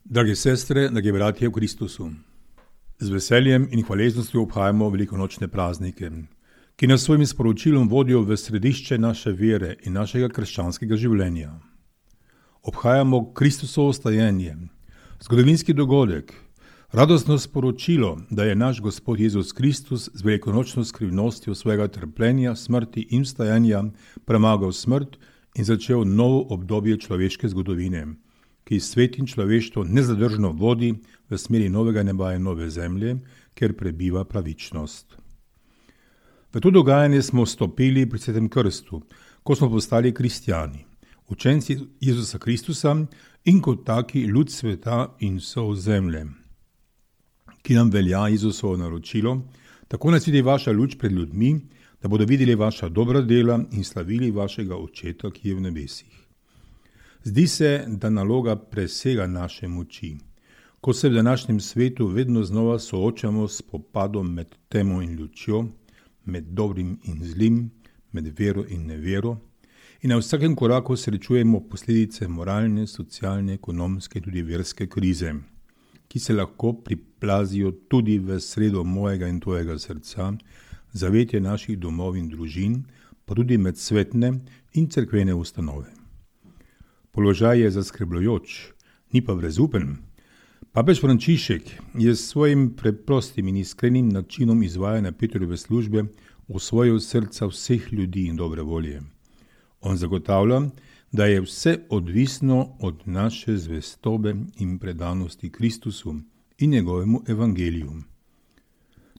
Drage sestre, dragi bratje v Kristusu, z veseljem in hvaležnostjo obhajamo velikonočne praznike, ki nas svojim sporočilom vodijo v središče naše vere in našega krščanskega življenja. Obhajamo Kristusovo stajenje, zgodovinski dogodek, radostno sporočilo, da je naš Gospod Jezus Kristus z velikonočno skrivnostjo svojega trpljenja, smrti in vstajanja premagal smrt in začel novo obdobje človeške zgodovine, ki svet in človeštvo nezadržno vodi v smeri novega neba in nove zemlje, kjer prebiva pravičnost. V to dogajanje smo stopili pri Svetem krstu, ko smo postali kristjani, učenci Jezusa Kristusa in kot taki ljud sveta in sol zemlje, ki nam velja Jezusovo naročilo, tako naj sveti vaša luč pred ljudmi, da bodo videli vaša dobra dela in slavili vašega Očeta, ki je v nebesih. Zdi se, da naloga presega naše moči, ko se v današnjem svetu vedno znova soočamo s spopadom med temo in lučjo, med dobrim in zlim, med vero in nevero, in na vsakem koraku srečujemo posledice moralne, socialne, ekonomske in tudi verske krize, ki se lahko priplazijo tudi v sredo mojega in tvojega srca, zavetje naših domov in družin, pa tudi med svetne in cerkvene ustanove. Položaj je zaskrbljujoč, ni pa brezupen. Papež Frančišek je s svojim preprostim in iskrenim načinom izvajanja Petrove službe osvojil srca vseh ljudi in dobre volje. On zagotavlja, da je vse odvisno od naše zvestobe in predanosti Kristusu in njegovemu evangeliju.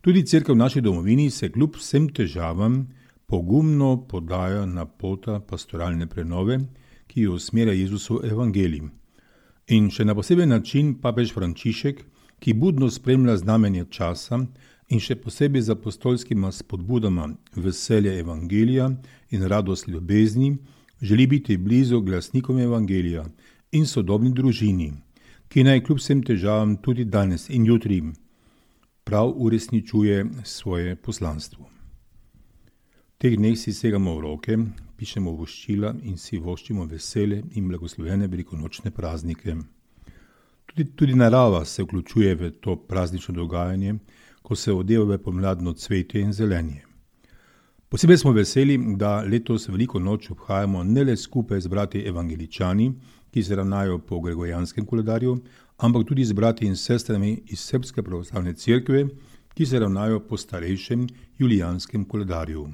Tudi cerkev v naši domovini se kljub vsem težavam pogumno podaja na pota pastoralne prenove, ki jo usmerja Jezusov evangelij. In še na poseben način papež Frančišek, ki budno spremlja znamenje časa in še posebej z apostolskima spodbudama veselja evangelija in radost ljubezni, želi biti blizu glasnikom evangelija in sodobni družini, ki naj kljub vsem težavam tudi danes in jutri prav uresničuje svoje poslanstvo. V teh dneh si segamo v roke, pišemo voščila in si voščimo vesele in blagoslovene velikonočne praznike. Tudi narava se vključuje v to praznično dogajanje, ko se odeva v pomladno cvetje in zelenje. Posebej smo veseli, da letos veliko noč obhajamo ne le skupaj z brati evangeličani, ki se ravnajo po gregorijanskem koledarju, ampak tudi z brati in sestrami iz Srbske pravoslavne cerkve, ki se ravnajo po starejšem julijanskem koledarju.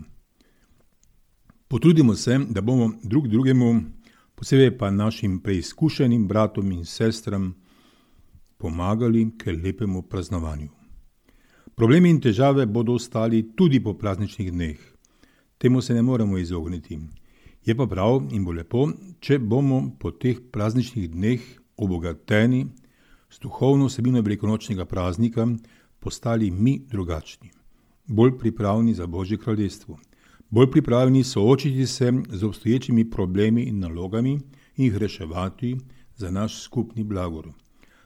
Potrudimo se, da bomo drug drugemu, posebej pa našim preizkušenim bratom in sestram, pomagali k lepemu praznovanju. Problemi in težave bodo ostali tudi po prazničnih dneh. Temu se ne moremo izogniti. Je pa prav in bo lepo, če bomo po teh prazničnih dneh obogateni s duhovno vsebino velikonočnega praznika postali mi drugačni, bolj pripravni za Božje kraljestvo. Bolj pripravljeni soočiti se z obstoječimi problemi in nalogami in jih reševati za naš skupni blagor,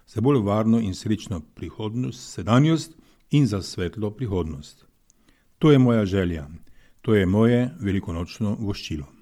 za bolj varno in srečno prihodnost, sedanjost in za svetlo prihodnost. To je moja želja, to je moje velikonočno voščilo.